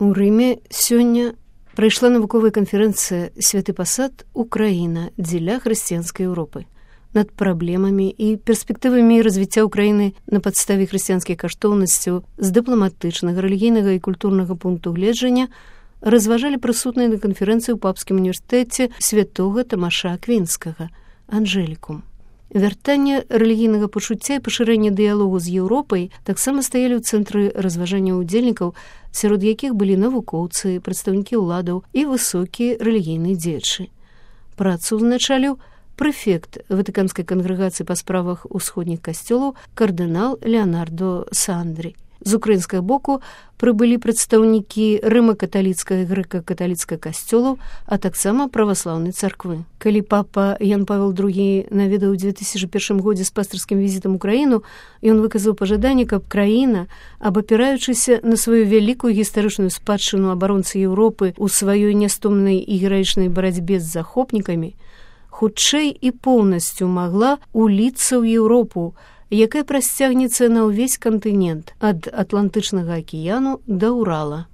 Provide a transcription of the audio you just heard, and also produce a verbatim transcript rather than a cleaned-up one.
У Рыме сёння прайшла навуковая канферэнцыя «Святы пасад. Украіна. Дзеля хрысціянскай Еўропы» над праблемамі і перспектывамі развіцця ўкраіны на падставе хрысціянскіх каштоўнасцяў з дыпламатычнага, рэлігійнага і культурнага пункту гледжання разважалі прысутныя на канферэнцыі ў папскім універсітэце святога Тамаша Аквінскага «Анжелікум». Вяртанне рэлігійнага пачуцця і пашырэнне дыялогу з Еўропай таксама стаялі ў цэнтры разважання ўдзельнікаў, сярод якіх былі навукоўцы, прадстаўнікі ўладаў і высокія рэлігійныя дзеячы. Працу ўзначаліў прэфект Ватыканскай кангрэгацыі па справах усходніх касцёлаў кардынал Леонардо Сандрі. З украінскага боку прыбылі прадстаўнікі рыма-каталіцкага і грэка-каталіцкага касцёлаў, а таксама праваслаўнай царквы. Калі папа Ян Павел другі наведаў у две тысячы першым годзе з пастырскім візітам у краіну, ён выказаў пажаданне, каб краіна, абапіраючыся на сваю вялікую гістарычную спадчыну абаронцы Еўропы ў сваёй нястомнай і гераічнай барацьбе з захопнікамі, хутчэй і поўнасцю магла уліцца ў Еўропу, якая прасцягнецца на ўвесь кантынент ад Атлантычнага акіяну да Урала.